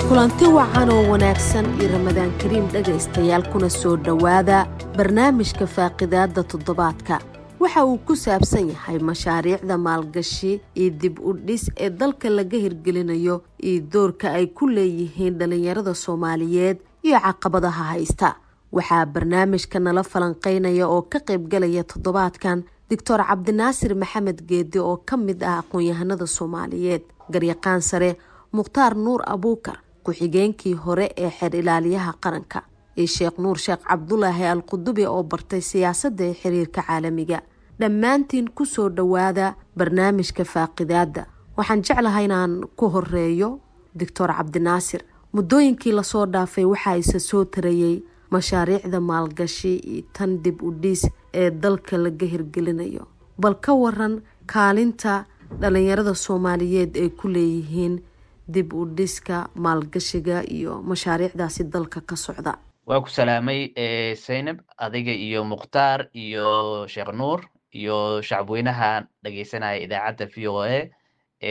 Kulanti wacan oo wanaagsan iyo Ramadaan kariim, dhegaystayaal, kuna soo dhowaada barnaamijka faaqidaada toddobaadka. Waxa uu ku saabsan yahay mashaariicda maalgashi iyo dib u dhis ee dalka laga hirgelinayo iyo doorka ay ku leeyihiin dhalinyarada Soomaaliyeed iyo caqabadaha haysta. Waxaa barnaamijka nala falanqeynaya oo ka qaybgalaya toddobaadkan Doctor Cabdinaasir Maxamed Geedi oo ka mid ah aqoon-yahanada Soomaaliyeed, garyaqaan sare Mukhtaar Nuur Abuukar, ku-xigeenkii hore ee xeer ilaaliyaha qaranka, iyo Sheekh Nuur Sheekh Cabdulaahi Al Qudubi oo bartay siyaasadda ee xiriirka caalamiga. Dhammaantiin kusoo dhowaada barnaamijka faaqidaada. Waxaan jeclahay inaan ku horeeyo Doctor Cabdinaasir. Muddooyinkii lasoo dhaafay waxaa isa soo tarayay mashaariicda maalgashi iyo tan dib u dhis ee dalka laga hirgelinayo. Bal ka waran kaalinta dhalinyarada Soomaaliyeed ay ku leeyihiin dib u dhiska, maalgashiga iyo mashaariicdaasi dalka ka socda? Waa ku salaamay, Zaynab, adiga iyo Mukhtaar iyo Sheekh Nuur iyo shacabweynaha dhegeysanaya idaacadda VOA.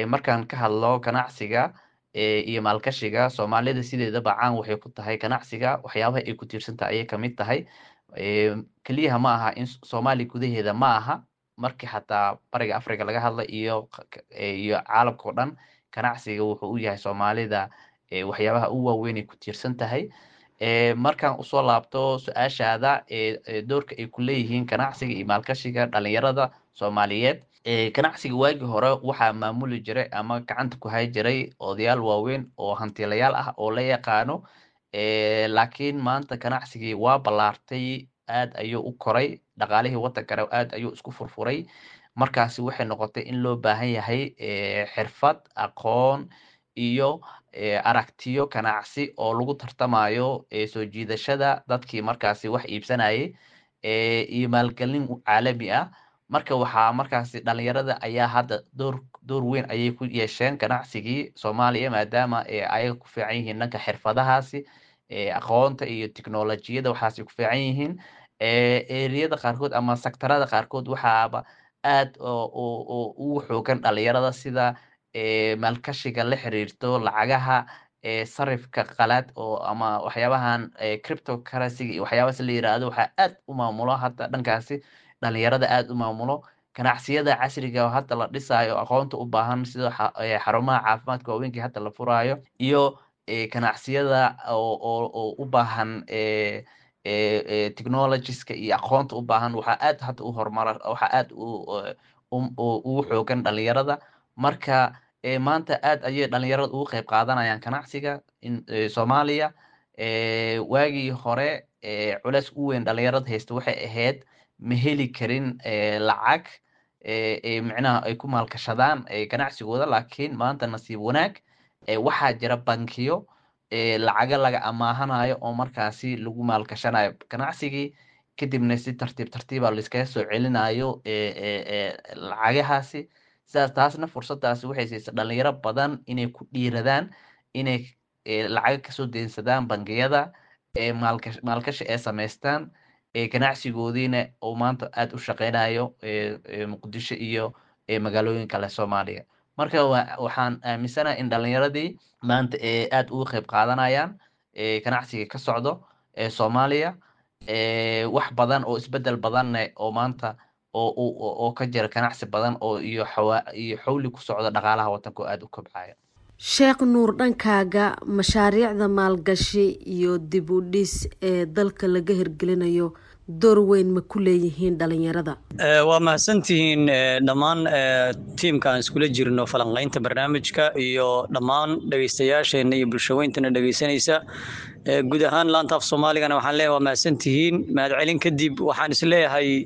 Markaan ka hadlo ganacsiga iyo maalgashiga, Soomaalida sideedaba caan waxay ku tahay ganacsiga. Waxyaabaha ay ku tiirsantahay ayay kamid tahay. Keliyaha ma aha in Soomaaliya gudaheeda ma aha, markii xataa Bariga Africa laga hadla iyo caalamka o dhan, ganacsiga wuxuu u yahay Soomaalida waxyaabaha u waaweyn ay ku tiirsan tahay. Markaan usoo laabto su-aashaada, doorka ay ku leeyihiin ganacsiga iyo maalgashiga dhalinyarada Soomaaliyeed, ganacsiga waagii hore waxaa maamuli jiray ama gacanta ku hay jiray odayaal waaweyn oo hantiilayaal ah oo la yaqaano, laakiin maanta ganacsigii waa ballaartay, aad ayuu u koray, dhaqaalihii waddankana aad ayuu isku furfuray. Markaasi waxay noqotay in loo baahan yahay xirfad, aqoon iyo aragtiyo ganacsi oo lagu tartamayo soo jiidashada dadkii markaasi wax iibsanayay iyo maalgelin caalami ah. Marka waxaa markaasi dhalinyarada ayaa hadda door weyn ayay ku yeesheen ganacsigii Soomaaliya, maadaama ayaga ku fiican yihiin dhanka xirfadahaasi, aqoonta iyo tiknolojiyada waxaasay ku fiican yihiin. Eriyada qaarkood ama sectorada qaarkood waxaaba aad ugu xoogan dhalinyarada, sida maalgashiga la xiriirto lacagaha, sarifka qalaad oo ama waxyaabahan cryptocurrency iyo waxyaabahaas la yiraahdo. Waxaa aad u maamulo hadda dhankaasi dhalinyarada, aad u maamulo ganacsiyada casriga oo hadda la dhisaayo, aqoonta u baahan, sida xarumaha caafimaadka waaweynka hadda la furaayo iyo ganacsiyada oo u baahan technologieska iyo aqoonta u baahan. Waxaa aad hadda u horumara, waxaa aad ugu xoogan dhalinyarada. Marka maanta aad ayay dhalinyarada ugu qeyb qaadanayaan ganacsiga in Soomaaliya. Waagii hore culeys u weyn dhalinyarada haysta waxay ahayd ma heli karin lacag micnaha ay ku maalgashadaan ganacsigooda, laakiin maanta nasiib wanaag waxaa jira bankiyo lacaga laga amaahanayo oo markaasi lagu maalgashanayo ganacsigii, kadibna si tartiib tartiiba laiskaga soo celinayo lacagahaasi. Sidaas taasna fursadaasi waxay siisay dhalinyaro badan inay ku dhiiradaan inay lacaga kasoo deynsadaan bangiyada, maalgashi ay samaystaan, ganacsigoodiina uu maanta aad u shaqeynayo Muqdisho iyo magaalooyin kale Soomaaliya. Marka waxaan aaminsanahay in dhalinyaradii maanta aad uga qeyb qaadanayaan ganacsiga ka socdo Soomaaliya, wax badan oo isbedel badanne oo maanta oo ka jira ganacsi badan oo iyo xawli ku socda dhaqaalaha wadanka oo aad u kobcaya. Sheekh Nuur, dhankaaga mashaariicda maalgashi iyo dib u dhis ee dalka laga hirgelinayo door weyn ma ku leeyihiin dhalinyarada? Waa mahadsantihiin dhammaan tiimka aan iskula jirno falanqeynta barnaamijka iyo dhammaan dhegeystayaasheena iyo bulshaweyntana dhegeysanaysa guud ahaan laanta af Soomaaligana. Waxaan leeyahay waa mahadsantihiin. Mahadcelin kadib, waxaan isleeyahay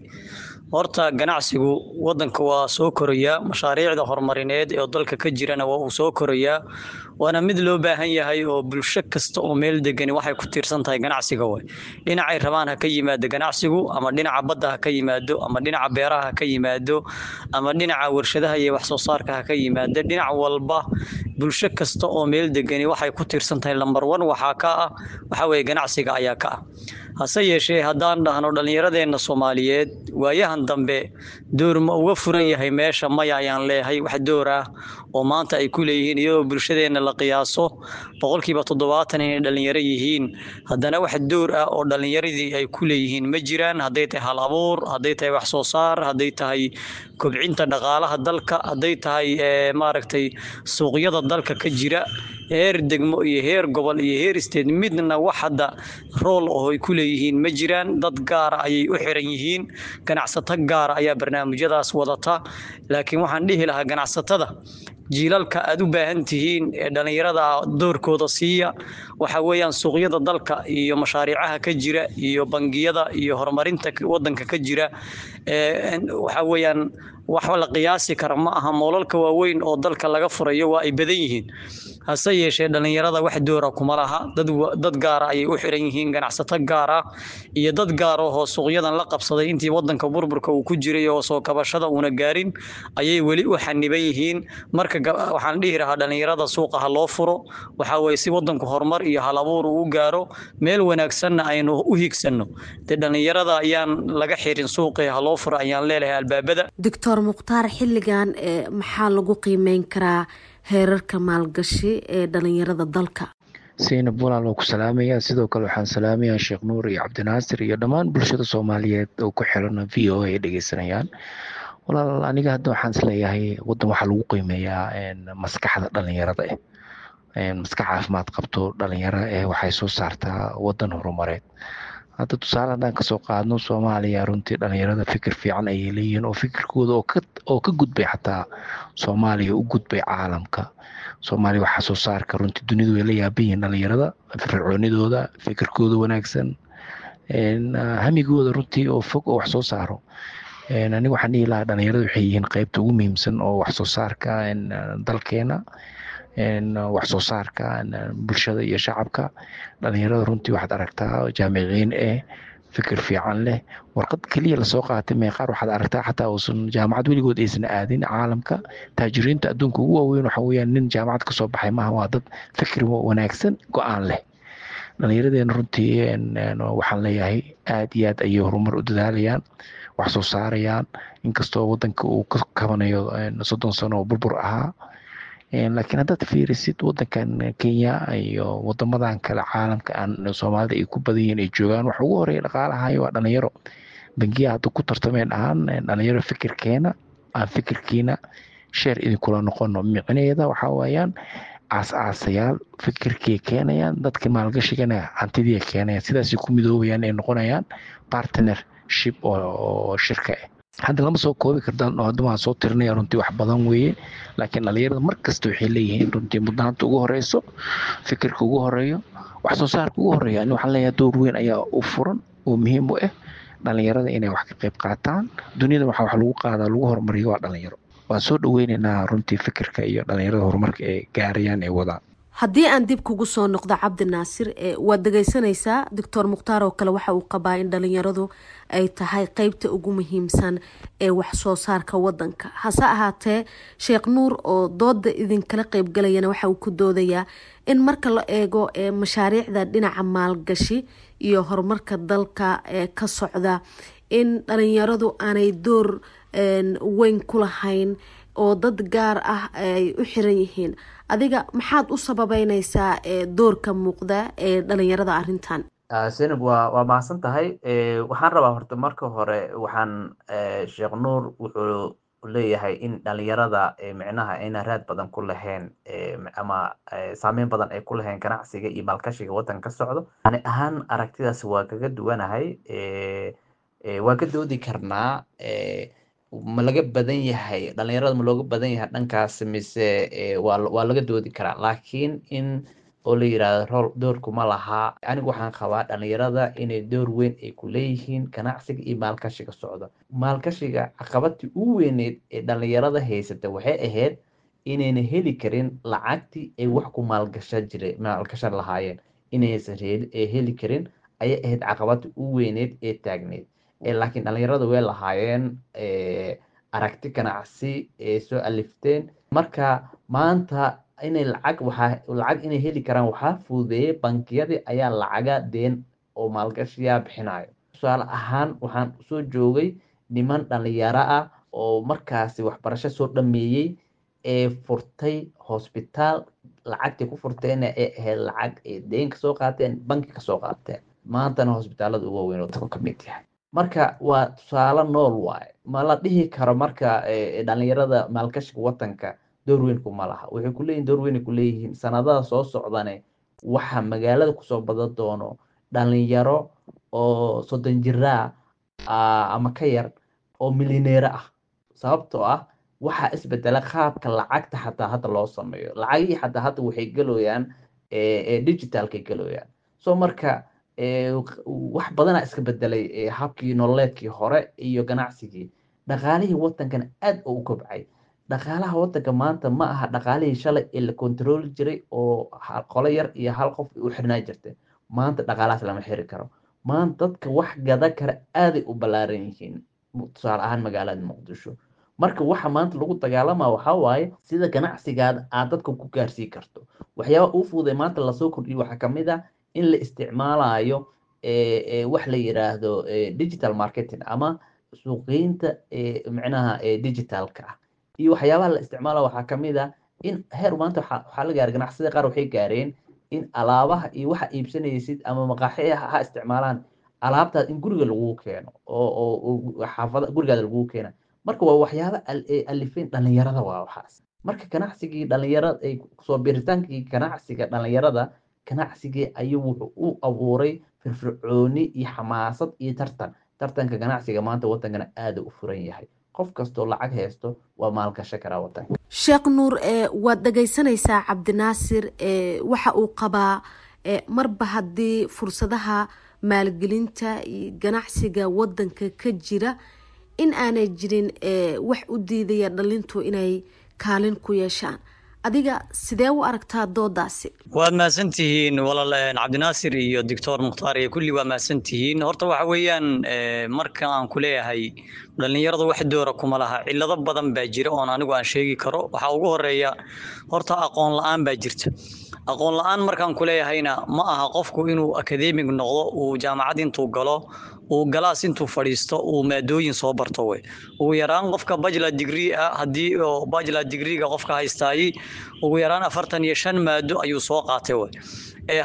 horta ganacsigu wadanka waa soo korayaa, mashaariicda horumarineed ee dalka ka jirana waa uu soo korayaa, waana mid loo baahan yahay oo bulsho kasta oo meel degani waxay ku tiirsan tahay ganacsiga. Way dhinacay rabaan ha ka yimaado ganacsigu, ama dhinaca badda ha ka yimaado, ama dhinaca beeraha ha ka yimaado, ama dhinaca warshadaha iyo wax soo saarka ha ka yimaado, dhinac walba. Bulsho kasta oo meel degani waxay ku tiirsan tahay number one waxaa ka ah, waxaa weeye, ganacsiga ayaa ka ah. Hase yeeshee, haddaan dhahno dhallinyaradeenna Soomaaliyeed waayahan dambe door ma uga furan yahay meesha? Maya ayaan leeyahay. Wax door ah oo maanta ay ku leeyihiin, iyadoo bulshadeenna la qiyaaso 70% inay dhallinyaro yihiin, haddana wax door ah oo dhallinyaradii ay ku leeyihiin ma jiraan. Hadday tahay hal abuur, hadday tahay wax soo saar, hadday tahay kobcinta dhaqaalaha dalka, hadday tahay maaragtay suuqyada dalka ka jira heer degmo iyo heer gobol iyo heer state, midna wax hadda role oo ay ku leeyihiin ma jiraan. Dad gaara ayay u xiran yihiin, ganacsato gaara ayaa barnaamijyadaas wadata. Laakiin waxaan dhihi lahaa ganacsatada, jiilalka aad u baahan tihiin ee dhallinyarada doorkooda siiya. Waxa weeyaan suuqyada dalka iyo mashaariicaha ka jira iyo bangiyada iyo horumarinta wadanka ka jira, waxa weeyaan wax la qiyaasi kara ma aha. Moolalka waaweyn oo dalka laga furayo waa ay badan yihiin, hase yeeshee dhallinyarada wax doora kuma laha. Dad gaara ayay u xiran yihiin, ganacsato gaar ah iyo dad gaar ahoo suuqyadan la qabsaday intii wadanka burburka uu ku jiray oo soo kabashada uuna gaarin ayay weli u xaniban yihiin. Marka waxaan dhihi lahaa dhallinyarada suuqa ha loo furo, waxaa weeye si wadanku horumar iyo hal abuur uu u gaaro, meel wanaagsanna aynu u higsanno. Dee dhallinyarada ayaan laga xirin suuqii, ha loo furo ayaan leelahay albaabada. Doctor Mukhtaar, xilligan maxaa lagu qiimeyn karaa heerarka maalgashi ee dhalinyarada dalka? Saynab, walaal, waa ku salaamayaa. Sidoo kale waxaan salaamayaa Sheekh Nuur iyo Cabdinaasir iyo dhammaan bulshada Soomaaliyeed oo ku xiran VOA ay dhegeysanayaan. Walaal, aniga hadda waxaan isleeyahay wadan waxaa lagu qiimeeyaa maskaxda dhalinyarada ah. Maskax caafimaad qabto dhalinyaro eh waxay soo saartaa wadan horumareed. Hadda tusaale haddaan kasoo qaadno Soomaaliya, runtii dhalinyarada fikir fiican ayay leeyihiin oo fikirkooda oo ka gudbay xataa Soomaaliya, u gudbay caalamka. Soomaaliya waxaa soo saarka runtii dunidu way la yaaban yihiin, dhalinyarada firfircoonidooda, fikirkooda wanaagsan, hamigooda runtii oo fog oo wax soo saaro. Aniga waxaan dhihi lahaa dhalinyarada waxay yihiin qeybta ugu muhiimsan oo wax soo saarka dalkeena, wax soo saarka bulshada iyo shacabka. Dhalinyarada runtii waxaad aragtaa jaamiciyiin eh, fikir fiican leh, warqad keliya lasoo qaatay. Meeqaar waxaad aragtaa xataa uusan jaamacad weligood aysan aadin. Caalamka taajiriinta adduunka ugu waaweyn waxa weeyaan nin jaamacad kasoo baxay maaha, waa dad fikir wanaagsan, go-aan leh. Dhallinyaradeena runtii waxaan leeyahay aad iyo aad ayay horumar u dadaalayaan, wax soo saarayaan, inkastoo wadanka uu ka kabanayo 30 sano oo burbur ahaa. Laakiin haddaad fiirisid wadankan Kenya iyo wadamadan kale caalamka aan Soomaalida ay ku badan yihiin ay joogaan, waxa ugu horeeya dhaqaalahayo waa dhalinyaro. Bangiyaha hadda ku tartameen ahaan dhalinyaro fikirkeena aan fikirkiina share idinkula noqono, micnaheeda waxaa weeyaan aas-aasayaal fikirkay keenayaan, dadka maalgashigana hantidii keenayaan, sidaasay ku midoobayaan, ay noqonayaan partnership oo shirka ah. Hadda lama soo koobi kartaan oo hadda waan soo tirinaya, runtii wax badan weeye. Laakiin dhalinyarada mar kasta waxay leeyihiin runtii mudnaanta ugu horeyso, fikirka ugu horeeyo, wax soo saarka ugu horeeyo. Ani waxaan leeyahay door weyn ayaa u furan oo muhiim u ah dhalinyarada inay wax ka qayb qaataan. Duniyada waxaa wax lagu qaadaa, lagu horumariyo waa dhalinyaro. Waan soo dhaweyneynaa runtii fikirka iyo dhalinyarada horumarka ay gaarayaan, ay wadaan. Haddii aan dib kugu soo noqdo, Cabdi Naasir, waad dhegeysanaysaa Doctor Mukhtaar oo kale waxa uu qabaa in dhalinyaradu ay tahay qeybta ugu muhiimsan ee wax soo saarka wadanka. Hase ahaatee, Sheekh Nuur oo dooda idinkala qeybgalayana waxa uu ku doodayaa in marka la eego mashaariicda dhinaca maalgashi iyo horumarka dalka ee ka socda in dhalinyaradu aanay door weyn ku lahayn oo dad gaar ah ay u xiran yihiin. Adiga maxaad u sababeyneysaa doorka muuqda ee dhalinyarada arrintan? Zaynab, waa mahadsan tahay. Waxaan rabaa horta marka hore, waxaan Sheekh Nuur wuxuu leeyahay in dhalinyarada micnaha ayna raad badan ku lahayn ama saameyn badan ay ku lahayn ganacsiga iyo maalgashiga wadanka ka socdo. Ani ahaan aragtidaas waa kaga duwanahay. Waa ka doodi karnaa, ma laga badan yahay dhalinyarada, ma looga badan yahay dhankaas mise waa laga doodi karaa. Laakiin in oo la yirahdo role doorkuma laha, anigu waxaan qabaa dhalinyarada inay door weyn ay ku leeyihiin ganacsiga iyo maalgashiga socda. Maalgashiga caqabadii ugu weyneyd ee dhalinyarada haysata waxay ahayd inayna heli karin lacagtii ay wax ku maalgashan jire maalgashan lahaayeen, inaysan heli karin ayay ahayd caqabadii ugu weyneyd ee taagneyd. Laakiin dhalinyarada way lahaayeen aragti ganacsi ee soo alifteen. Marka maanta Inay lacag, waxaa lacag inay heli karaan waxaa fududeeyey bankiyadii ayaa lacaga deen oo maalgashiyaa bixinayo. Tusaale ahaan, waxaan soo joogay niman dhalinyaro ah oo markaasi waxbarasho soo dhameeyey ee furtay hosbitaal, lacagtii ku furteenna ee ahayd lacag ay deen kasoo qaateen, banki kasoo qaateen, maantana hosbitaalada ugu waaweyn oo ka mid yahay. Marka waa tusaale nool waaye. Ma la dhihi karo marka dhalinyarada maalgashiga wadanka door weyn kuma laha. Waxay kuleeyihin door weyn ay kuleeyihiin. Sanadaha soo socdane waxa magaalada kusoo badan doono dhalinyaro oo 30 jiraa ama ka yar oo milyaneero ah, sababtoo ah waxaa isbedela qaabka lacagta xataa hadda loo sameeyo. Lacagihii xataa hadda waxay geloyaan digitalkay geloyaan. So marka wax badanaa iska bedelay habkii nololeedkii hore iyo ganacsigii. Dhaqaalihii wadankana aad oo u kobcay. Dhaqaalaha wadanka maanta ma aha dhaqaalihii shalay ee la kontarooli jiray oo qolo yar iyo hal qof u xirnaa jirtay. Maanta dhaqaalahaas lama xiri karo. Maanta dadka wax gada kara aaday u ballaaran yihiin, tusaale ahaan magaalada Muqdisho. Marka waxa maanta lagu dagaalama waxaa waaye sida ganacsigaada aad dadka ku gaarsii karto. Waxyaaba uu fududay maanta lasoo kordhiyey waxaa kamid ah in la isticmaalayo wax la yiraahdo digital marketing ama suuqgeynta micnaha digitalka ah. Iyo waxyaabaha la isticmaala waxaa kamid ah in heer maanta waxaa la gaaray ganacsiyada qaar waxay gaareen in alaabaha iyo waxa iibsanaysid ama maqaaxiyaha ha isticmaalaan alaabtaad in guriga lagu keeno oo xaafada gurigaada lagu keena. Marka waa waxyaaba alifeen dhalinyarada waa waxaas. Marka ganacsigii dhalinyarada ay soo biritaankii ganacsiga dhalinyarada, ganacsigii ayuu wuxuu u abuuray firfircooni iyo xamaasad iyo tartan. Tartanka ganacsiga maanta wadankana aada u furan yahay, qof kastoo lacag haysto waa maalgashan karaa wadanka. Sheekh Nuur, waad dhagaysanaysaa Cabdinaasir. Waxa uu qabaa marba haddii fursadaha maalgelinta iyo ganacsiga wadanka ka jira in aanay jirin wax u diidaya dhalintu inay kaalin ku yeeshaan. Adiga sidee u aragtaa doodaasi? Waad mahadsantihiin walaal Cabdinaasir iyo Doctor Mukhtaar iyo kulli, waa mahadsantihiin. Horta waxa weeyaan, marka aan ku leeyahay dhallinyarada wax doora kuma laha, cillado badan baa jira oon anigu aan sheegi karo. Waxaa ugu horeeya horta aqoon la-aan baa jirta. Aqoon la-aan markaan ku leeyahayna ma aha qofku inuu academic noqdo, uu jaamacad intuu galo, uu galaas intuu fadhiisto, uu maadooyin soo barto wey. Ugu yaraan qofka bachelor degree ah, haddii oo bachelor degreega qofka haystaayey, ugu yaraan 45 maado ayuu soo qaatay wey.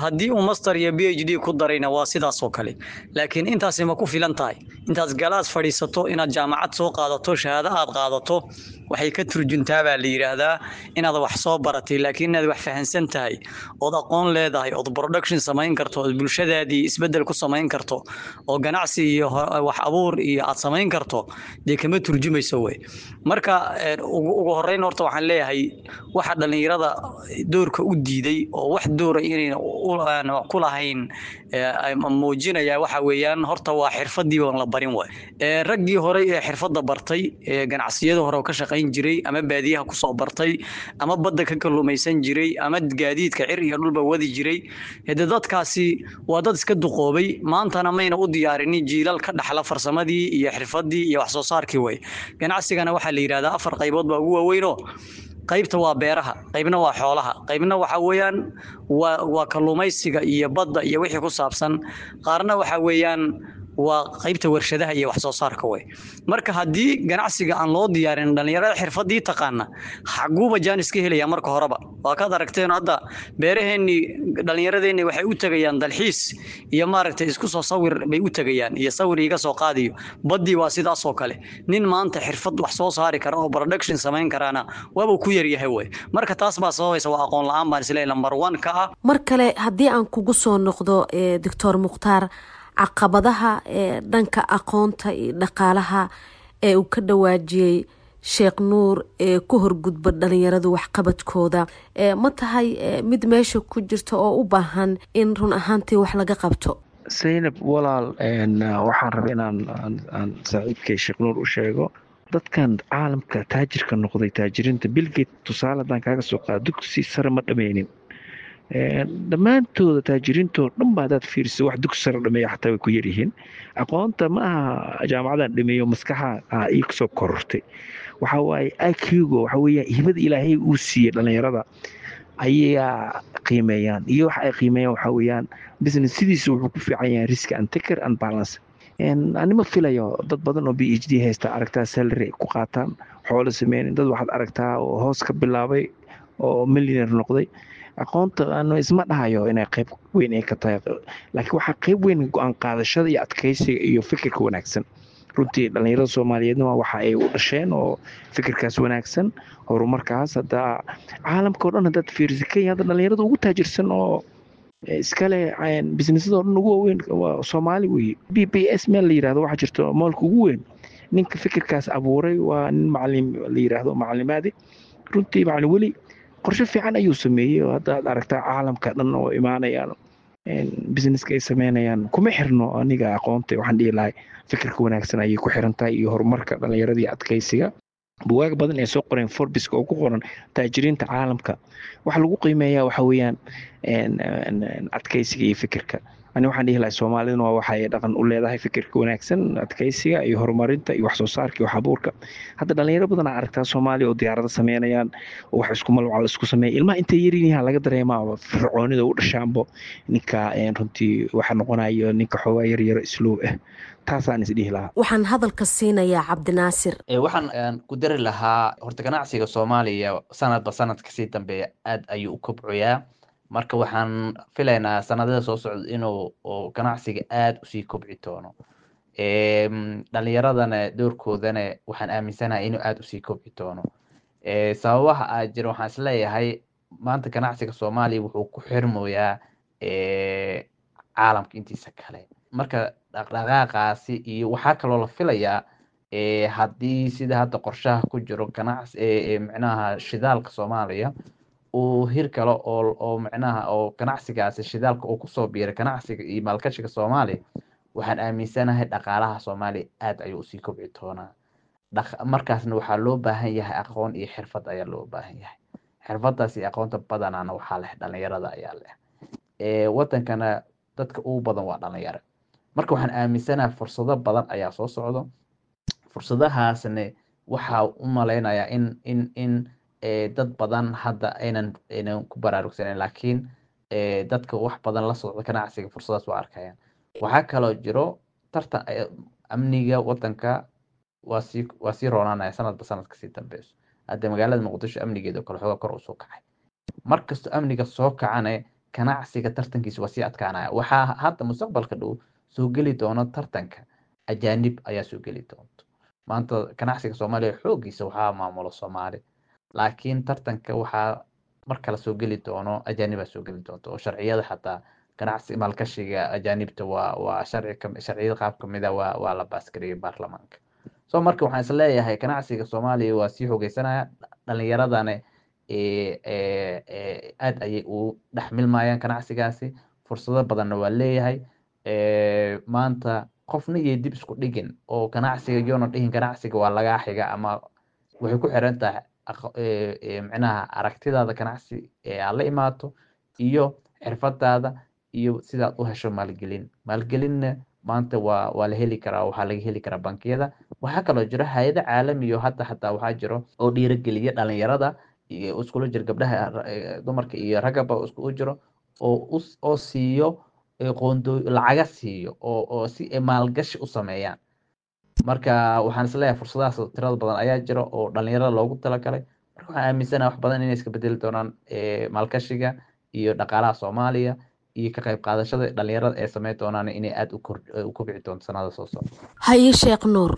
Haddii uu master iyo PhD ku darayna waa sidaas oo kale. Laakiin intaasi ma ku filan tahay? Intaad galaas fadhiisato, inaad jaamacad soo qaadato, shahaado aad qaadato, waxay ka turjuntaa baa la yidhaahdaa inaad wax soo baratay. Laakiin inaad wax fahansan tahay ood aqoon leedahay ood production samayn karto ood bulshadaadii isbeddel ku samayn karto oo ganacsi iyo wax abuur iyo aad samayn karto, dee kama turjumayso wey. Marka ugu horreyn horta waxaan leeyahay waxa dhallinyarada doorka u diiday oo wax doora inayna ku lahayn muujinaya waxa weeyaan horta waa xirfadii baan la barin waay. Raggii horey ee xirfadda bartay, ee ganacsiyada hore oo ka shaqayn jiray, ama baadiyaha kusoo bartay, ama badda ka kalluumaysan jiray, ama gaadiidka cir iyo dhulba wadi jiray, hade dadkaasi waa dad iska duqoobay. Maantana mayna u diyaarinin jiilal ka dhaxla farsamadii iyo xirfadii iyo wax soo saarkii way. Ganacsigana waxaa la yidhahdaa afar qaybood baa ugu waaweynoo: qaybta waa beeraha, qaybna waa xoolaha, qaybna waxa weeyaan waa kalluumaysiga iyo badda iyo wixii ku saabsan, qaarna waxa weeyaan waa qaybta warshadaha iyo wax soo saarka way. Marka haddii ganacsiga aan loo diyaarin dhalinyarada xirfadii taqaana, xaguuba jaanis ka helaya? Marka horeba waa kaad aragteen hadda beeraheennii, dhallinyaradeenni waxay u tegayaan dalxiis iyo maaragtay isku soo sawir bay u tegayaan iyo sawir iga soo qaadiyo. Baddii waa sidaas oo kale. Nin maanta xirfad wax soo saari kara oo production samayn karaana waaba ku yaryahay wey. Marka taas baa sababaysa, waa aqoon la-aan baan isleeyahay number one ka ah. Mar kale haddii aan kugu soo noqdo, Doctor Mukhtaar, caqabadaha ee dhanka aqoonta iyo dhaqaalaha ee uu ka dhawaajiyey Sheekh Nuur ee ku horgudba dhalinyaradu waxqabadkooda, ma tahay mid meesha ku jirta oo u baahan in run ahaantii wax laga qabto? Saynab walaal, waxaan rabay inaan aan saaxiibkay Sheekh Nuur u sheego dadkan caalamka taajirka noqday, taajiriinta, Bill Gates tusaale haddaan kaaga soo qaado, dugsi sare ma dhameynin. Dhammaantooda taajiriintoo dhan ba haddaad fiiriso, wax dugsi sare dhameeya xataa way ku yaryihiin. Aqoonta ma aha jaamacadan dhameeyo, maskaxa ii soo korortay. Waxa waaye IQ-ga, waxa weeyaan hibada Ilaahay uu siiyey dhalinyarada. Ayaa qiimeeyaan, iyo waxa ay qiimeeyaan waxaa weeyaan business sidiisa wuxuu ku fiican yahay risk and taker and balance. Anima filayo dad badan oo PhD haysta aragtaa salary ku qaataan, xoolo sameynin. Dad waxaad aragtaa oo hoos ka bilaabay oo millionaire noqday. Aqoonta ano isma dhahayo inay qayb weyn ay ka tahay, laakiin waxaa qayb weyn go-aan qaadashada iyo adkeysiga iyo fikirka wanaagsan. Runtii dhalinyarada Soomaaliyeedna waa waxa ay u dhasheen oo fikirkaas wanaagsan, horumarkaas. Hadda caalamka o dhan haddaad fiiriso, Kenya hadda dhalinyarada ugu taajirsan oo iskale businessada oo dhan ugu waaweyn waa Soomaali weye. BBS meel la yirahdo waxaa jirto mallka ugu weyn. Ninka fikirkaas abuuray waa nin macalin la yiraahdo Macalimaadi. Runtii Macalin Weli qorshe fiican ayuu sameeyey, oo hadda aad aragtaa caalamka dhan oo imaanayaan businesska ay sameynayaan. Kuma xirno aniga aqoonta, waxaan dhihi lahay fikirka wanaagsan ayay ku xiran tahay iyo horumarka dhalinyarada iyo adkeysiga. Bugaag badan ee soo qoreen Forbeska oo ku qoran taajiriinta caalamka, waxa lagu qiimeeyaa waxa weeyaan adkeysiga iyo fikirka. Ani waxaan dhihi lahay Soomaaliduna waa waxa ay dhaqan u leedahay fikirka wanaagsan, adkeysiga iyo horumarinta iyo wax soo saarka iyo wax abuurka. Hadda dhalinyaro badan aa aragtaa Soomaaliya oo diyaarado sameynayaan oo wax isku malwacal isku sameeya. Ilmaha intay yarin yahaan laga dareemaa fircoonida u dhashaanbo ninka runtii waxa noqonayo ninka xoogaa yar yaro slow ah. Taasaan is dhihi lahaa. Waxaan hadalka siinayaa Cabdinaasir. Waxaan ku dari lahaa horta ganacsiga Soomaaliya sanadba sanad kasii dambeeya aad ayuu u kobcoyaa. Marka waxaan filaynaa sanadada soo socda inuu ganacsiga aad usii kobci doono. Dhalinyaradana doorkoodana waxaan aaminsanahay inuu aad usii kobci doono. Sababaha aa jira, waxaan isleeyahay maanta ganacsiga Soomaaliya wuxuu ku xirmoyaa caalamka intiisa kale. Marka dhaqdhaqaaqaasi iyo waxaa kaloo la filayaa, haddii sida hadda qorshaha ku jiro ganacsi, micnaha shidaalka Soomaaliya uu hir kale oo micnaha oo ganacsigaasi shidaalka uu kusoo biiray ganacsiga iyo maalgashiga Soomaaliya, waxaan aaminsanahay dhaqaalaha Soomaaliya aad ayuu usii kobci doonaa. Markaasna waxaa loo baahan yahay aqoon iyo xirfad ayaa loo baahan yahay. Xirfadaas iyo aqoonta badanaana waxaa leh dhalinyarada ayaa leh. Wadankana dadka ugu badan waa dhalinyaro. Marka waxaan aaminsanahay fursado badan ayaa soo socdo. Fursadahaasna waxaa u malaynayaa in dad badan hadda aynan ku baraarugsaneyn, laakiin dadka wax badan la socda ganacsiga fursadaas waa arkayaan. Waxaa kaloo jiro tartan, amniga wadanka waa sii roonaanaya sanadba sanad kasii dambeyso. Hadda magaalada Muqdisho amnigeeda oo kale xoogaa kor usoo kacay. Markastoo amniga soo kacane, ganacsiga tartankiisa waa sii adkaanaya. Waxaa hadda mustaqbalka dhow soo geli doono tartanka ajaanib ayaa soo geli doonto. Maanta ganacsiga Soomaaliya xooggiisa waxaa maamulo Soomaali, laakiin tartanka waxaa mar kale soo geli doono ajaanibaa soo geli doonto, oo sharciyada xataa ganacsi maalgashiga ajaanibta waa sharci, sharciyada qaab kamid a waa la baasgareeyay baarlamaanka. So marka waxaan is leeyahay ganacsiga Soomaaliya waa sii xoogeysanaya, dhalinyaradana aad ayay u dhex milmayaan ganacsigaasi, fursado badanna waa leeyahay. Maanta qofna iyo dib isku dhigin oo ganacsiga yoona dhihin ganacsiga waa lagaa xiga, ama waxay ku xiran tahay micnaha aragtidaada ganacsi ee aad la imaato iyo xirfadaada iyo sidaad u hesho maalgelin. Maalgelinna maanta waa la heli karaa, waxaa laga heli karaa bankiyada. Waxaa kaloo jiro hay'ado caalami oo hadda xataa waxaa jiro oo dhiirigeliya dhalinyarada iyo iskula jiro gabdhaha, dumarka iyo raggaba iskugu jiro, oo siiyo qoondo lacaga siiyo oo si ay maalgashi u sameeyaan. Marka waxaan isleeyahay fursadahaas tirada badan ayaa jira oo dhalinyarada loogu talagalay. Marka waxaan aaminsanahay wax badan inay iska bedeli doonaan maalgashiga iyo dhaqaalaha Soomaaliya iyo ka qayb qaadashada dhalinyarada ay sameyn doonaan inay aada u kobci doonto sanada soo socda. Haye, Sheekh Nuur.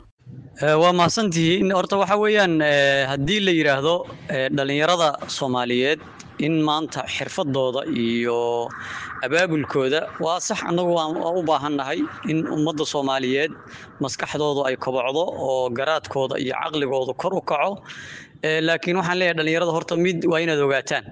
Waa mahadsantihiin. Horta waxa weeyaan, haddii la yidhaahdo dhalinyarada Soomaaliyeed in maanta xirfadooda iyo abaabulkooda, waa sax. Annagu waa u baahannahay in ummadda Soomaaliyeed maskaxdoodu ay kobocdo oo garaadkooda iyo caqligooda kor u kaco. Laakiin waxaan leeyahay dhalinyarada, horta mid waa inaad ogaataan: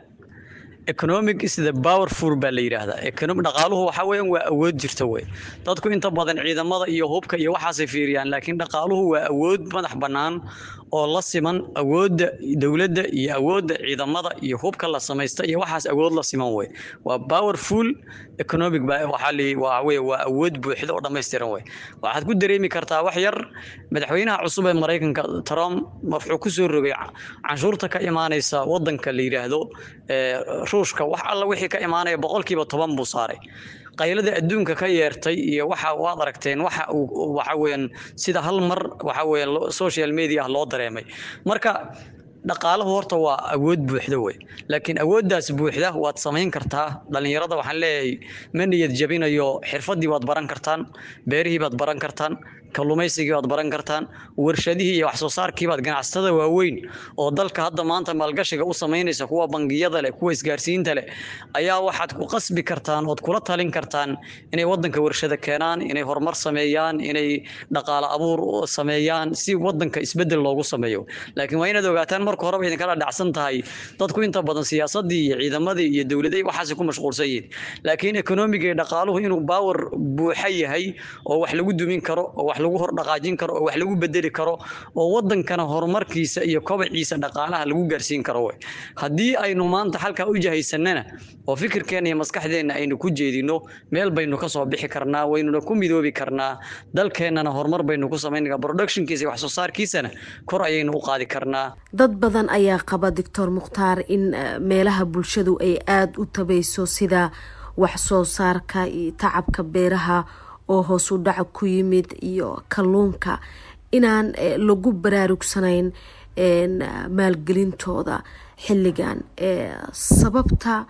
economic is the powerful baa la yidhaahdaa. Economic, dhaqaaluhu waxa weeyaan waa awood jirta wey. Dadku inta badan ciidamada iyo hubka iyo waxaasay fiiriyaan, laakiin dhaqaaluhu waa awood madax bannaan. oo la siman awoodda dowladda iyo awoodda ciidamada iyo hubka la samaysta iyo waxaas, awood la siman wey. Waa powerful economic, waxaa li waa wey, waa awood buuxda oo dhammaystiran wey. Waxaad ku dareemi kartaa wax yar, madaxweynaha cusub ee Maraykanka Trump wuxuu ku soo rogay canshuurta ka imaanaysa wadanka la yidhaahdo Ruushka. Wax alla wixii ka imaanaya 10% buu saaray. Qaylada adduunka ka yeertay iyo waxa waad aragteen, waxa uu waxa weeyaan sida hal mar waxa weeyaan social media loo dareemay. Marka dhaqaalahu horta waa awood buuxda wey, laakiin awooddaas buuxda waad samayn kartaa. Dhallinyarada waxaan leeyahay, ma niyad jabinayo, xirfaddii waad baran kartaan, beerihii baad baran kartaan, kalluumaysigii baad baran kartaan, warshadihii iyo wax soo saarkii baad. Ganacsatada waaweyn oo dalka hadda maanta maalgashiga u samaynaysa, kuwa bangiyada leh, kuwa isgaarsiinta leh, ayaa waxaad ku qasbi kartaan ood kula talin kartaan inay wadanka warshada keenaan, inay horumar sameeyaan, inay dhaqaale abuur sameeyaan, si wadanka isbedel loogu sameeyo. Laakiin waa inaad ogaataan, marka horeba idinkala dhacsan tahay, dadku inta badan siyaasadii iyo ciidamadii iyo dowladii waxaas ku mashquulsan yihiin, laakiin economiga iyo dhaqaaluhu inuu power buuxa yahay oo wax lagu dumin karo oo wax lagu hor dhaqaajin karo oo wax lagu bedeli karo oo wadankana horumarkiisa iyo kobaciisa dhaqaalaha lagu gaarsiin karo wey. Haddii aynu maanta halkaa u jahaysanana oo fikirkeena iyo maskaxdeenna aynu ku jeedino, meel baynu ka soo bixi karnaa, waynuna ku midoobi karnaa, dalkeennana horumar baynu ku samayn karnaa, productionkiisa iyo wax soo saarkiisana kor ayaynu u qaadi karnaa. Dad badan ayaa qaba, Doctor Mukhtaar, in meelaha bulshadu ay aada u tabayso, sida wax soo saarka iyo tacabka beeraha oo hoos u dhaca ku yimid iyo kalluunka, inaan lagu baraarugsanayn maalgelintooda xilligan. Sababta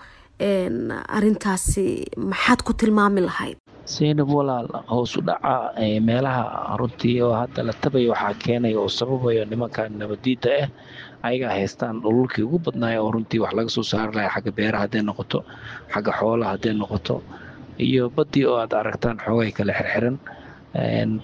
arintaasi maxaad ku tilmaami lahayd? Saynab walaal, hoos u dhaca meelaha runtii oo hadda la tabayo waxaa keenaya oo sababayo nimanka nabadiida ah. Ayagaa haystaan dhululkii ugu badnaaya oo runtii wax laga soo saari lahaa, xagga beeraha hadday noqoto, xagga xoolaha hadday noqoto, iyo baddii oo aad aragtaan xoogay kale xirxiran.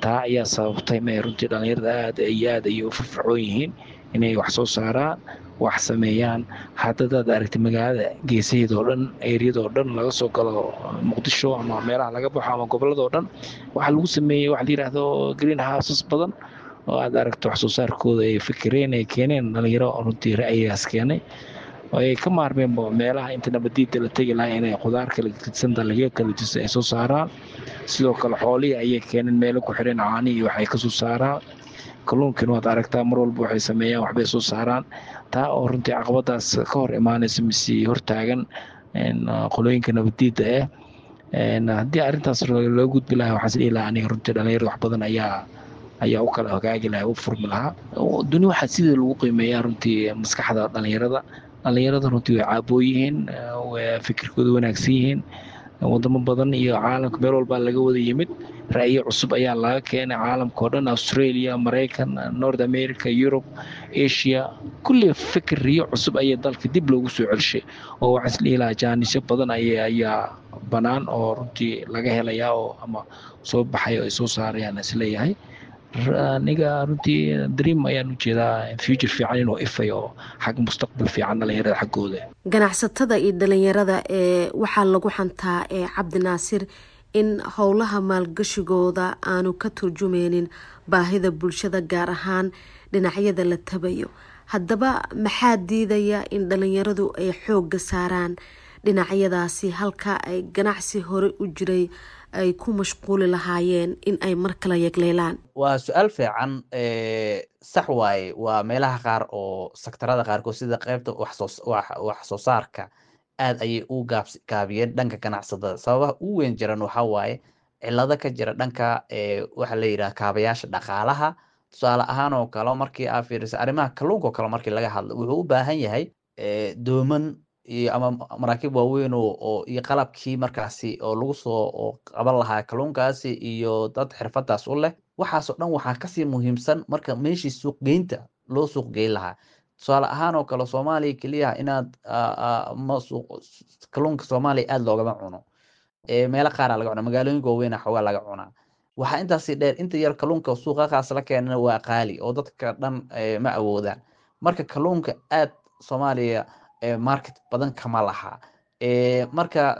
Taa ayaa sababtay ma runtii dhallinyarada aad iyo aad ayay u firfircoon yihiin inay wax soo saaraan, wax sameeyaan. Haddadaad aragtay magaalada geesaheeda oo dhan, eeriyada oo dhan laga soo galo Muqdisho ama meelaha laga baxo ama gobolada oo dhan, waxaa lagu sameeyey waxa la yidhaahdo green houses badan oo aad aragto wax soo saarkooda ay fikireen, ay keeneen dhalinyaro runtii ra'yigaas keenay oo ay ka maarmeen meelaha inta nabadiida la tegi lahaa inay khudaar kala gedsan, dalagyo kala gedsan ay soo saaraan. Sidoo kale xoolihii ayay keeneen, meelo ku xireen, caanihii waxay kasoo saaraan, kalluunkiina waad aragtaa, mar walba waxay sameeyaan, waxbay soo saaraan. Taa oo runtii caqabadaas ka hor imaanaysa mise hortaagan qolooyinka nabadiida ah. Haddii arrintaas loo gudbi lahaa, waxaan is dhihi lahaa aniga runtii dhalinyarada wax badan ayaa u kala hagaagi lahaa, u furmi lahaa duni. Waxaa sidii lagu qiimeeyaa runtii maskaxda dhalinyarada. Dhalinyarada runtii way caaboo yihiin, way fikirkooda wanaagsan yihiin. Wadamo badan iyo caalamka meel walbaa laga wada yimid, ra'yo cusub ayaa laga keenay caalamka oo dhan, Australia, Maraykan, North America, Europe, Asia, kulli fikriyo cusub ayaa dalka dib loogu soo celshay. Oo waxaan isdhihi lahaa jaanisyo badan ayaa banaan oo runtii laga helayaa oo ama soo baxay oo ay soo saarayaan isleeyahay. Aniga runtii dream ayaan ujeedaa future fiican inuu ifayo oo xag mustaqbal fiican dhalinyarada xaggooda. Ganacsatada iyo dhalinyarada ee waxaa lagu xantaa ee Cabdinaasir in howlaha maalgashigooda aanu ka turjumeynin baahida bulshada, gaar ahaan dhinacyada la tabayo. Haddaba maxaa diidaya in dhalinyaradu ay xoogga saaraan dhinacyadaasi halka ay ganacsi hore u jiray ay ku mashquuli lahaayeen in ay mar kale yegleelaan? Waa su-aal fiican. Sax waaye, waa meelaha qaar oo sektarada qaarkood sida qeybta wax soo saarka aad ayay u gaabiyeen dhanka ganacsatada. Sababaha ugu weyn jiran waxaa waaye cilado ka jira dhanka waxa la yidhaha kaabayaasha dhaqaalaha. Tusaale ahaan oo kale, markii aa fiiriso arrimaha kalluunka oo kale, markii laga hadlo, wuxuu u baahan yahay dooman iyo ama maraakiib waaweyn oo iyo qalabkii markaasi oo lagu soo oo qaban lahaa kalluunkaasi iyo dad xirfadaas u leh. Waxaasoo dhan waxaa kasii muhiimsan marka meeshii suuqgeynta loo suuq geyn lahaa. Tusaale ahaan oo kale, Soomaaliya keliya inaad ma suuq kalluunka Soomaaliya aada loogama cuno, meelo qaaraa laga cunaa, magaalooyinka waaweyna xoogaa laga cunaa. Waxaa intaasi dheer, inta yar kalluunka suuqaqaas la keenana waa qaali oo dadka dhan ma awoodaan. Marka kalluunka aad Soomaaliya market badan kama laha. Marka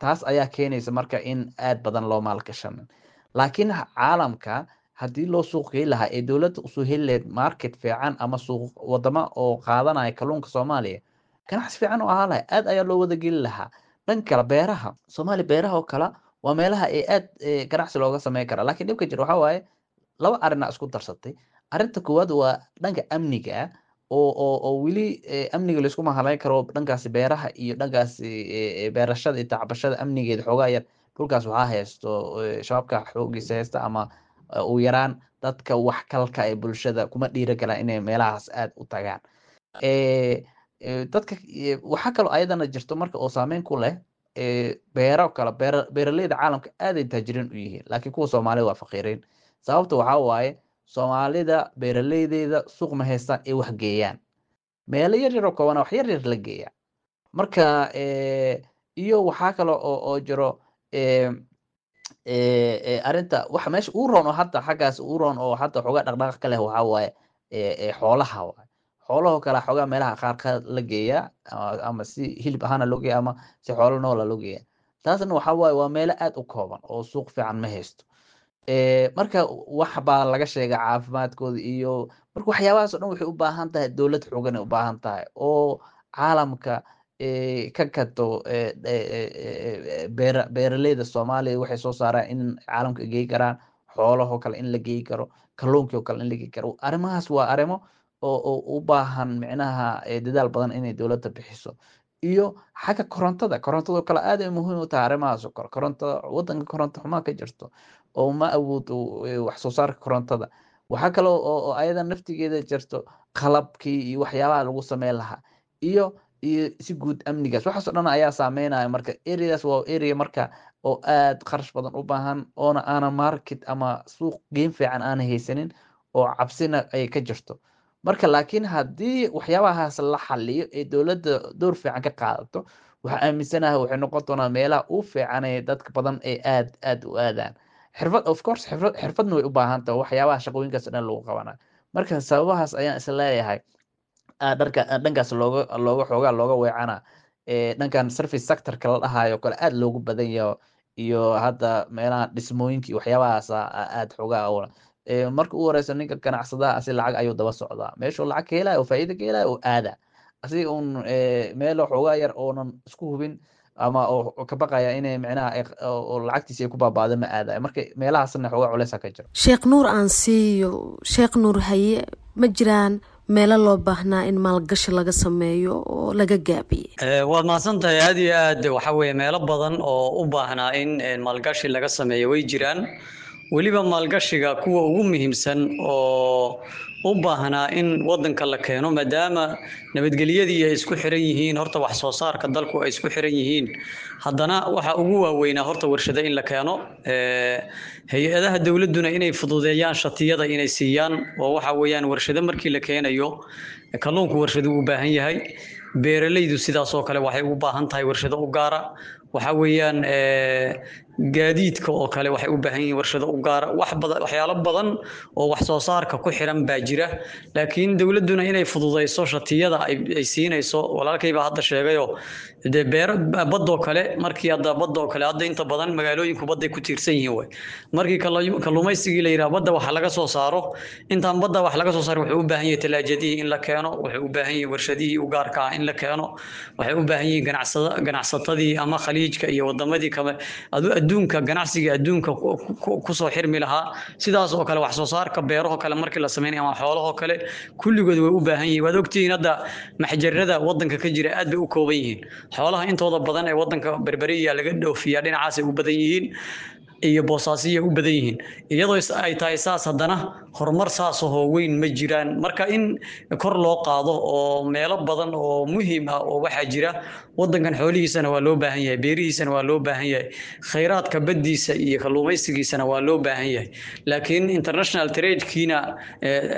taas ayaa keenaysa marka in aad badan loo maalgashanin. Laakiin caalamka Haddii loo suuq geyn lahaa ee dowladda usoo heli lahayd market fiican ama suuq wadama oo qaadanaya kalluunka Soomaaliya, ganacsi fiican oo ahaa lahay, aad ayaa loo wada geli lahaa. Dhan kale, beeraha Soomaaliya, beeraha oo kale waa meelaha ee aad ganacsi looga sameyn kara. Laakiin dhibka jira waxaa waaye laba arrinaa isku darsatay. Arrinta koowaad waa dhanka amniga ah oo weli amniga laisku mahalayn karo dhankaasi beeraha iyo dhankaasi beerashada iyo tacbashada. Amnigeeda xoogaa yar dhulkaas waxaa haysto shabaabka xoogiisa haysta, ama ugu yaraan dadka wax kalka ee bulshada kuma dhiiragalaan inay meelahaas aad u tagaan. Dadka waxaa kaloo ayadana jirto marka oo saameyn ku leh beero kale. Beeraleyda caalamka aaday taajiriin u yihiin, laakiin kuwa Soomaalida waa faqiiriin. Sababta waxaa waaye Soomaalida beeraleydeeda suuq ma haystaan ay wax geeyaan. Meelo yar yar oo koobana wax yar yar la geeya. Marka iyo waxaa kale oo jiro arrinta waxa meesha uu roon oo hadda xaggaas uu roon oo hadda xoogaa dhaqdhaqaaq ka leh waxaa waaye xoolaha waaye. Xoolahoo kale xoogaa meelaha qaar ka la geeyaa, ama si hilib ahaana loo geeya ama si xoolo noola loo geeya. Taasna waxaa waaye waa meelo aad u kooban oo suuq fiican ma haysto. Marka wax baa laga sheega caafimaadkooda iyo marka waxyaabahaas oo dhan waxay u baahan tahay dowlad xoogan ay u baahan tahay oo caalamka ka gato beeraleyda Soomaaliya waxay soo saaraan in caalamka geey karaan, xoolahoo kale in la geey karo, kalluunkii oo kale in la geey karo. Arrimahaas waa arrimo oo u baahan micnaha dadaal badan inay dowladda bixiso. Iyo xagga korontada, korontadoo kale aad ay muhiim u tahay arrimahaas oo kale. Korontada wadanka koronto xumaa ka jirto oo ma awoodo wax soo saarka korontada. Waxaa kaloo oo ayada naftigeeda jirto qalabkii iyo waxyaabaha lagu sameyn lahaa iyo si guud amnigaas. Waxaas oo dhan ayaa saameynaya. Marka areadaas waa area marka oo aad kharash badan u baahan, oona aanan market ama suuq geyn fiican aanan haysanin oo cabsina ay ka jirto. Marka laakiin haddii waxyaabahaas la xaliyo ee dowladda door fiican ka qaadato, waxaa aaminsanahay waxay noqon doonaa meelaha u fiican ee dadka badan ee aad aad u aadaan. Xirfad, of course, xirfadna way u baahan tahay waxyaabaha shaqooyinkaas oo dhan lagu qabanayo. Marka sababahaas ayaan is leeyahay dharka dhankaas looga xoogaa looga weecana dhankan service sectorka la dhahayo kale aad loogu badan yaho, iyo hadda meelaha dhismooyinka iyo waxyaabahaas aad xoogaa. Marka u horeysa ninka ganacsadaha asi lacag ayuu daba socdaa, meeshuu lacag ka helayo oo faa'iido ka helayo oo aada asiga un meel xoogaa yar oonan isku hubin ama oo ka baqaya inay micnaha oo lacagtiisa ay ku baabaado ma aadayo. Marka meelahaasna xoogaa culeysa ka jiro. Sheekh Nuur aan siiyo. Sheekh Nuur, haye, ma jiraan meelo loo baahnaa in maalgashi laga sameeyo oo laga gaabiyey? Waad mahadsan tahay aad iyo aad. Waxa weeye meelo badan oo u baahnaa in maalgashi laga sameeyo way jiraan. Weliba maalgashiga kuwa ugu muhiimsan oo u baahnaa in wadanka la keeno, maadaama nabadgelyadii ay isku xiran yihiin, horta wax soo saarka dalku ay isku xiran yihiin, haddana waxa ugu waaweynaa horta warshado in la keeno, hay-adaha dowladduna inay fududeeyaan shatiyada inay siiyaan. Oo waxa weeyaan warshado markii la keenayo, kalluunku warshado u baahan yahay, beeralaydu sidaas oo kale waxay u baahan tahay warshado u gaara, waxa weeyaan gaadiidka oo kale waxay u baahan yihiin warshado u gaara. Wax badan, waxyaalo badan oo wax soo saarka ku xiran baa jira, laakiin dowladduna inay fududeyso shatiyada ay siinayso. Walaalkay baa hadda sheegayo dee beero badoo kale, markii hadda badoo kale hadda inta badan magaalooyinku badday ku tiirsan yihiin way. Markii kalluumaysigii la yidhaha badda waxa laga soo saaro, intaan badda wax laga soo saaro wuxuu u baahan yahay talaajadihii in la keeno, wuxuu u baahan yahay warshadihii u gaarka ah in la keeno, waxay u baahan yihiin ganacsatadii ama khaliijka iyo wadamadii kale adduunka ganacsiga adduunka kusoo xirmi lahaa. Sidaas oo kale wax soo saarka beerahoo kale markii la sameynayo ama xoolahoo kale, kulligood way u baahan yihiin. Waad ogtihiin hadda maxjarada wadanka ka jira aad bay u kooban yihiin. Xoolaha intooda badan ee wadanka Berberiya laga dhoofiyaa, dhinacaasay u badan yihiin iyo Boosaasiya u badan yihiin. Iyadoo ay tahay saas, haddana horumar saas ahoo weyn ma jiraan. Marka in kor loo qaado oo meelo badan oo muhiim ah oo waxaa jira wadankan xoolihiisana waa loo baahan yahay, beerihiisana waa loo baahan yahay, khayraadka baddiisa iyo kalluumaysigiisana waa loo baahan yahay, laakiin international tradekiina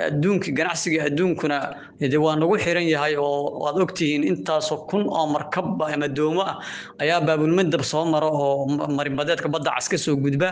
adduunka ganacsiga adduunkuna de waa nagu xiran yahay. Oo waad ogtihiin intaasoo kun oo markab ama doomo ah ayaa Baabulmandab soo mara oo marinbadeedka Badda Cas ka soo gudba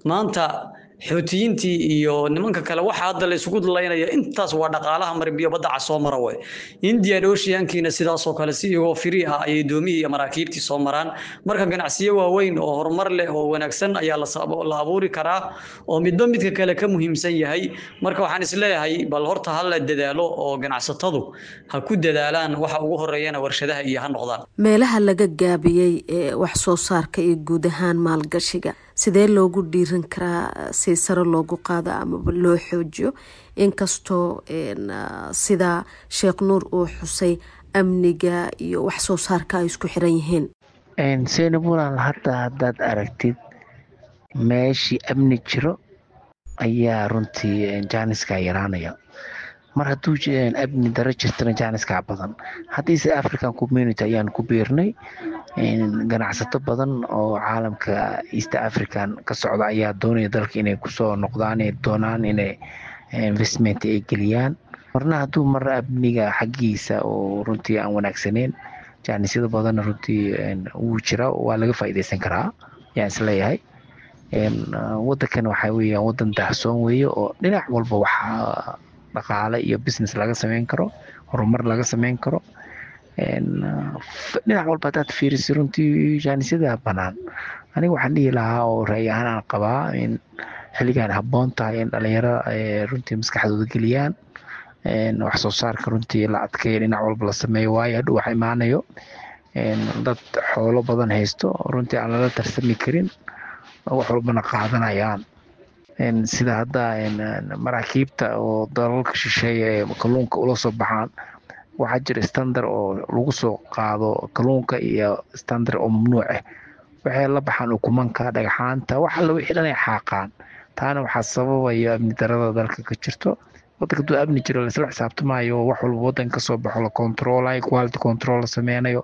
maanta. Xuutiyiintii iyo nimanka kale waxa hadda la isugu laynaya intaas waa dhaqaalaha marinbiyo badda cas soo mara way. Indian Oceankiina sidaasoo kale si iyagoo free ah ayay doomihii iyo maraakiibtii soo maraan. Marka ganacsiyo waaweyn oo horumar leh oo wanaagsan ayaa la abuuri karaa oo midba midka kale ka muhiimsan yahay. Marka waxaan isleeyahay bal horta ha la dadaalo oo ganacsatadu ha ku dadaalaan, waxa ugu horeeyana warshadaha iyo ha noqdaan. Meelaha laga gaabiyey ee wax soo saarka iyo guud ahaan maalgashiga sidee loogu dhiiran karaa si sare loogu qaado amaba loo xoojiyo, inkastoo sida Sheekh Nuur uu xusay amniga iyo wax soo saarka ay isku xiran yihiin? Seynab walaal, hadda haddaad aragtid meeshii amni jiro ayaa runtii jaaniska yaraanaya. Mar hadduu amni daro jirtana jaaniskaa badan. Haddiise African Community ayaan ku biirnay, ganacsato badan oo caalamka East African ka socda ayaa doonaya dalka inay kusoo noqdaan, ay doonaan inay investment ay geliyaan. Marna hadduu mar amniga xaggiisa oo runtii aan wanaagsaneyn, jaanisyada badanna runtii wuu jira, waa laga faa'iideysan karaa yaan isleeyahay. Wadankan waxaa weeyaan wadan daahsoon weeye oo dhinac walba waxaa dhaqaale iyo business laga sameyn karo, horumar laga sameyn karo. Dhinac walba haddaad fiiriso runtii jaanisyada banaan. Aniga waxaan dhihi lahaa oo ra'yi ahaan aan qabaa in xilligan habboon tahay in dhalinyarada runtii maskaxdooda geliyaan wax soo saarka, runtii la adkeeyo, dhinac walba la sameeyo, waayo hadhow wax imaanayo dad xoolo badan haysto, runtii aan lala tarsami karin, wax walbana qaadanayaan, sida hadda maraakiibta oo dalalka shisheeye ee kalluunka ula soo baxaan. Waxaa jira standard oo lagu soo qaado kalluunka iyo standard oo mamnuuc ah. Waxay la baxaan ukumanka, dhagxaanta, wax alla wixii dhan ay xaaqaan. Taana waxaa sababaya amni darada dalka ka jirto. Wadanka hadduu amni jiro, laisla xisaabtamayo, wax walba wadanka kasoo baxo la controlayo, quality control la sameynayo,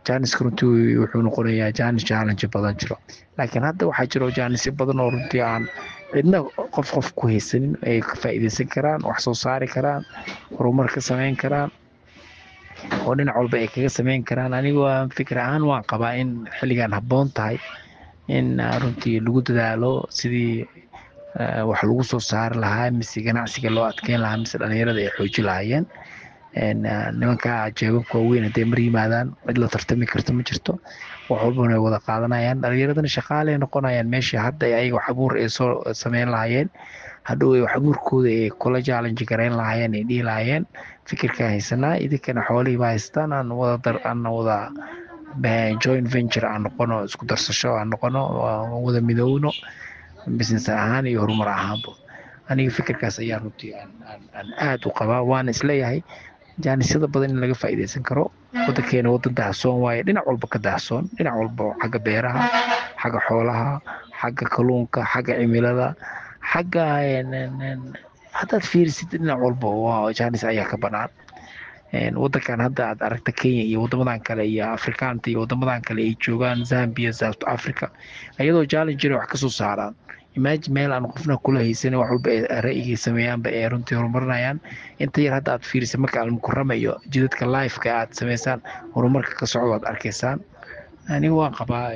janiska runtii wuxuu noqonayaa janis challenge badan jiro. Laakiin hadda waxaa jiro janisyo badan oo runtii aan cidna qof qof ku haysanin, ay ka faa'iideysan karaan, wax soo saari karaan, horumar ka sameyn karaan oo dhinac walba ay kaga sameyn karaan. Anigu waa fikir ahaan waan qabaa in xilligan habboon tahay in runtii lagu dadaalo sidii wax lagu soo saari lahaa, mise ganacsiga loo adkeyn lahaa, mise dhalinyarada ay xooji lahaayeen. Nimanka jeebabka waaweyn hadday mar yimaadaan, cid la tartami karto ma jirto, wax walbana way wada qaadanayaan, dhalinyaradana shaqaaley noqonayaan. Meeshii hadda ayaga wax abuur ay soo sameyn lahaayeen, hadhow ay wax abuurkooda ay kula challenge gareyn lahaayeen, ay dhihi lahaayeen fikirkaa haysanaa, idinkana xoolihii baa haystaan, aan wada dar, aan wada joint venture aan noqono, isku darsasho aan noqono, aan wada midoowno business ahaan iyo horumar ahaanba. Aniga fikirkaas ayaa runtii aan aada u qabaa, waana isleeyahay jaanisyada badan in laga faa'iideysan karo. Wadankeena wadan daahsoon waaye, dhinac walba ka daahsoon, dhinac walba, xagga beeraha, xagga xoolaha, xagga kalluunka, xagga cimilada, xagga haddaad fiirisid dhinac walba waa jaanis ayaa ka banaan. Wadankan hadda aad aragta Kenya iyo wadamadan kale iyo Afrikaanta iyo wadamadan kale ay joogaan, Zambia, South Africa, iyadoo challenge jira wax kasoo saaraan. Imagine meel aan qofna kula haysan, wax walba ay ra'yigay sameeyaanba ay runtii horumarinayaan. Inta yar hadda aad fiirisa marka Almukarama iyo jidadka lifeka aad sameysaan, horumarka ka socdo aad arkaysaan. Aniga waan qabaa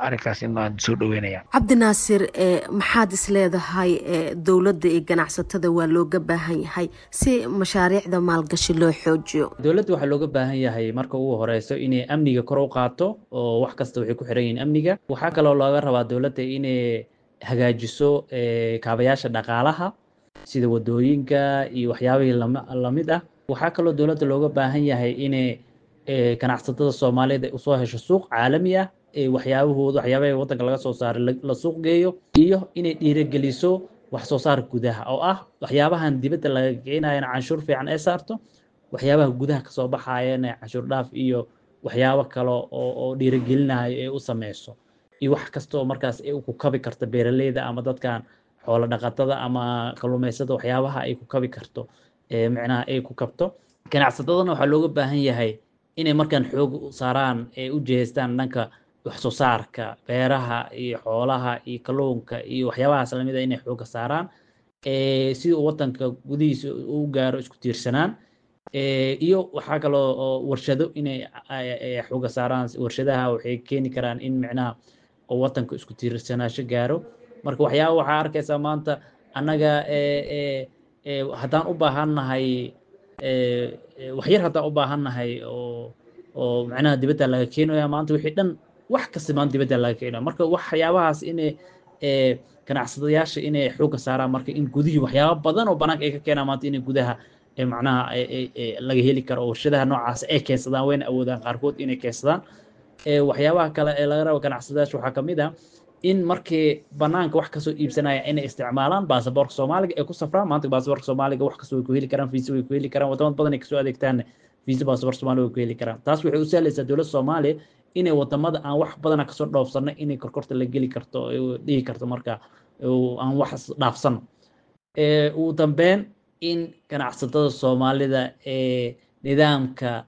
arrinkaas in aan soo dhaweynaya. Cabdinaasir, maxaad is leedahay dowladda iyo ganacsatada waa looga baahan yahay si mashaariicda maalgashi loo xoojiyo? Dowladda waxaa looga baahan yahay marka ugu horeyso inay amniga kor u qaato, oo wax kasta waxay ku xiran yihiin amniga. Waxaa kaloo looga rabaa dowladda inay hagaajiso kaabayaasha dhaqaalaha sida wadooyinka iyo waxyaabihii lamid ah. Waxaa kaloo dowladda looga baahan yahay inay ganacsatada Soomaaliyeed ay usoo hesho suuq caalami ah ee waxyaabahooda, waxyaabaha waddanka laga soo saaray la suuq geeyo, iyo inay dhiirigeliso wax soo saarka gudaha, oo ah waxyaabahan dibadda laga keenayana canshuur fiican ay saarto, waxyaabaha gudaha kasoo baxayana canshuur dhaaf iyo waxyaabo kale oo dhiirigelinayo ee u sameyso, iyo wax kasta oo markaas ay ku kabi karto beeraleyda ama dadkan xoolo dhaqatada ama kalluumaysada, waxyaabaha ay ku kabi karto ee micnaha ay ku kabto. Ganacsatadana waxaa looga baahan yahay inay markaan xoog u saaraan ee u jihaystaan dhanka wax soo saarka beeraha iyo xoolaha iyo kalluunka iyo waxyaabahaas lamid ah, inay xoogga saaraan si uu wadanka gudihiisa u gaaro isku tiirsanaan. Iyo waxaa kaloo oo warshado inay xoogga saaraan. Warshadaha waxay keeni karaan in micnaha oo wadanka isku tiirsanaasho gaaro. Marka waxyaaba waxaa arkaysaa maanta annaga haddaan u baahannahay waxyar, haddaan u baahannahay oo macnaha dibadda laga keenaya maanta, wixii dhan wax kasta maanta dibadda laga keenaya. Marka waxyaabahaas inay ganacsadayaasha inay xoogga saaraan, marka in gudihii waxyaaba badan oo banaanka ay ka keenaan maanta inay gudaha macnaha laga heli karo oo warshadaha noocaas ay keensadaan, wayna awoodaan qaarkood inay keensadaan. Waxyaabaha kale ee laga rabo ganacsadayaasha waxaa kamid ah in markii banaanka wax kasoo iibsanaya inay isticmaalaan baasaboorka Soomaaliga ay ku safraan. Maanta baasaboorka Soomaaliga wax kasta way ku heli karaan, fiisa way ku heli karaan, wadamo badan ay kasoo adeegtaan fiisa baasaboorka Soomaaliga way ku heli karaan. Taas waxay u sahlaysaa dowladda Soomaaliya inay wadamada aan wax badana kasoo dhoofsano inay korkorta la geli karto, dhihi karto marka aan wax dhaafsano. Ugu dambeyn, in ganacsatada Soomaalida ee nidaamka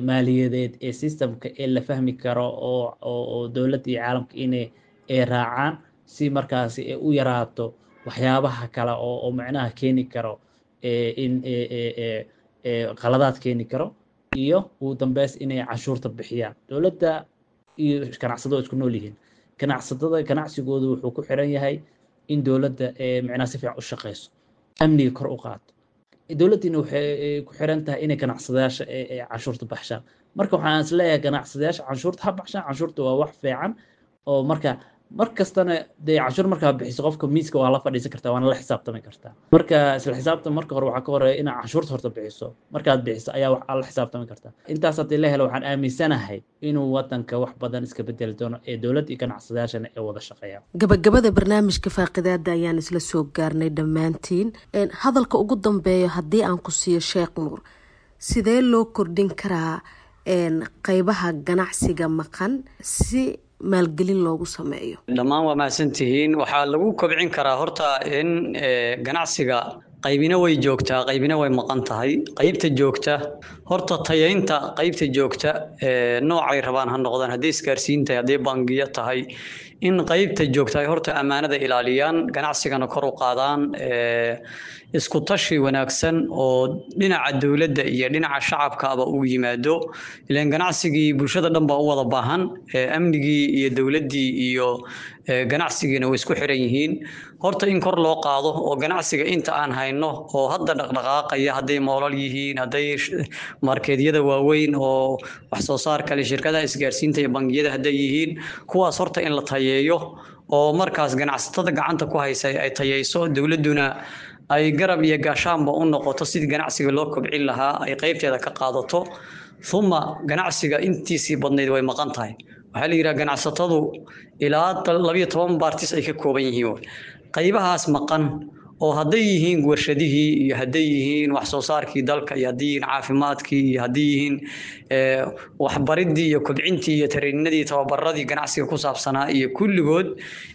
maaliyadeed ee systemka ee la fahmi karo oo dowladda iyo caalamka inay ay raacaan, si markaasi ay u yaraato waxyaabaha kale oo macnaha keeni karo in qaladaad keeni karo. Iyo ugu dambeys, inay canshuurta bixiyaan. Dowladda iyo ganacsatada isku nool yihiin. Ganacsatada ganacsigoodu wuxuu ku xiran yahay in dowladda macnaha si fiican u shaqeyso, amniga kor u qaato. Dowladdiina waxay ku xiran tahay inay ganacsadayaasha canshuurta baxshaan. Marka waxaan is leeyahay ganacsadayaasha canshuurta ha baxshaan, canshuurta waa wax fiican oo marka mar kastana dee canshuur markaa bixiso qofka miiska waa la fadhiisan kartaa, waana la xisaabtami kartaa. Marka isla xisaabtan marka hore waxaa ka horeeya inaad canshuurta horta bixiso. Markaad bixiso ayaa wax la xisaabtami kartaa. Intaas haddii la helo, waxaan aaminsanahay inuu wadanka wax badan iska bedeli doono ee dowladda iyo ganacsadayaashana ay wada shaqeeyaan. Gabagabada barnaamijka faaqidaada ayaan isla soo gaarnay dhammaantiin. Hadalka ugu dambeeyo haddii aan ku siiyo Sheekh Nuur, sidee loo kordhin karaa qeybaha ganacsiga maqan si maalgelin loogu sameeyo? Dhammaan waa mahadsantihiin. Waxaa lagu kobcin karaa horta in ganacsiga qaybina way joogtaa, qaybina way maqan tahay. Qaybta joogta horta tayaynta qaybta joogta, noocay rabaan ha noqdaan, hadday isgaarsiin tahay, hadday bangiyo tahay, in qaybta joogta ay horta ammaanada ilaaliyaan, ganacsigana kor u qaadaan, isku tashi wanaagsan oo dhinaca dowladda iyo dhinaca shacabkaaba uu yimaado. Ilaan ganacsigii bulshada dhan baa u wada baahan, amnigii iyo dowladdii iyo ganacsigiina way isku xiran yihiin. Horta in kor loo qaado oo ganacsiga inta aan hayno oo hadda dhaqdhaqaaqaya, hadday moolal yihiin, hadday markeedyada waaweyn oo wax soo saar kale, shirkadaha isgaarsiinta iyo bangiyada hadday yihiin, kuwaas horta in la tayeeyo oo markaas ganacsatada gacanta ku haysa ay tayeyso, dowladduna ay garab iyo gaashaanba u noqoto sidii ganacsiga loo kobcin lahaa, ay qaybteeda ka qaadato. Uma ganacsiga intiisii badnayd way maqan tahay. Waxaa la yidhaha ganacsatadu ilaa 12 baartis ay ka kooban yihiin. Qaybahaas maqan oo hadday yihiin warshadihii iyo hadday yihiin wax soo saarkii dalka iyo hadday yihiin caafimaadkii iyo hadday yihiin waxbaridii iyo kobcintii iyo tareeninadii, tababaradii ganacsiga ku saabsanaa iyo kulligood,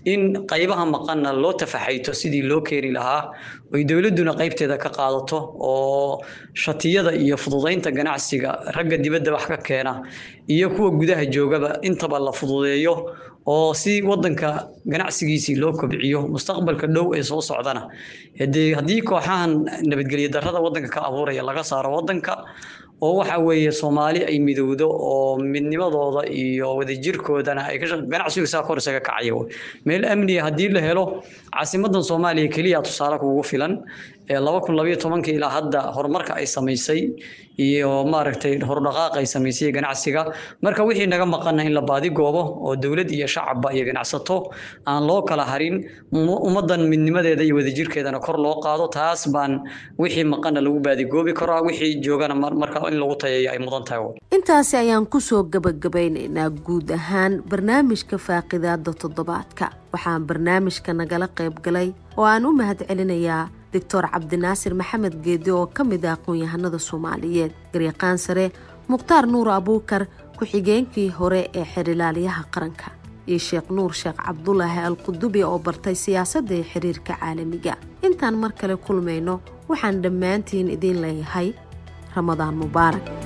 in qaybaha maqanna loo tafaxayto sidii loo keeni lahaa, oy dowladduna qaybteeda ka qaadato oo shatiyada iyo fududaynta ganacsiga ragga dibadda wax ka keena iyo kuwa gudaha joogaba intaba la fududeeyo, oo si wadanka ganacsigiisii loo kobciyo mustaqbalka dhow ee soo socdana. Haddii kooxahan nabadgelyo darrada wadanka ka abuuraya laga saaro wadanka oo waxa weeye Soomaali ay midowdo oo midnimadooda iyo wadajirkoodana ay ganacsigu saa kor isaga kacayo. Meel amniya haddii la helo, caasimadan Soomaaliya keliya tusaale kugu filan, 2012 ilaa hadda horumarka ay samaysay iyo maaragtay horudhaqaaq ay samaysay ganacsiga. Marka wixii naga maqana in la baadi goobo oo dowlad iyo shacabba iyo ganacsato aan loo kala harin, ummaddan midnimadeeda iyo wadajirkeedana kor loo qaado. Taas baan wixii maqana lagu baadigoobi karaa, wixii joogana marka in lagu tayeeyo ay mudan tahay. Intaasi ayaan kusoo gabagabaynaynaa guud ahaan barnaamijka faaqidaada toddobaadka. Waxaan barnaamijka nagala qayb galay oo aan u mahad celinayaa Doctor Cabdinaasir Maxamed Geedi oo ka mid ah aqoon-yahanada Soomaaliyeed, garyaqaan sare Mukhtaar Nuur Abuukar, ku-xigeenkii hore ee xerilaalyaha qaranka, iyo Sheekh Nuur Sheekh Cabdulaahi Alqudubi oo bartay siyaasadda iyo xiriirka caalamiga. Intaan mar kale kulmayno, waxaan dhammaantiin idiin leeyahay Ramadaan mubaarak.